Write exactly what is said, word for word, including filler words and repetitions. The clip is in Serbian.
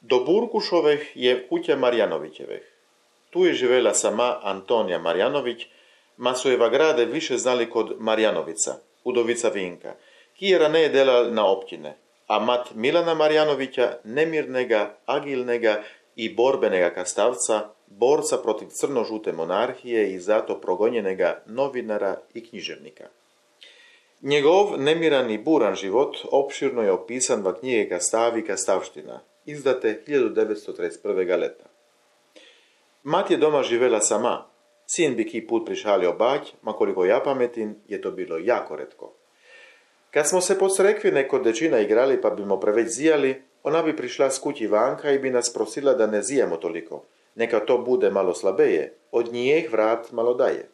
Do Burkušoveh je kuća Marjanovićeveh. Tu je živela sama Antonija Marjanović, ma su Eva grade više znali kod Marjanovica, udovica Vinka, ki je raneje delal na općine, a mat Milana Marjanovića, nemirnega, agilnega i borbenega kastavca, borca protiv crno-žute monarhije i zato progonjenega novinara i književnika. Njegov nemiran i buran život opširno je opisan v knjige Kastav i Kastavština, izdate hiljadu devetsto trideset prvega leta. Mat je doma živela sama, sin bi ki put prišalio bać, ma koliko ja pametim, je to bilo jako retko. Kad smo se posle rekvine kod dečina igrali pa bimo preveć zijali, ona bi prišla s kući vanka i bi nas prosila da ne zijemo toliko, neka to bude malo slabeje, od njih vrat malo daje.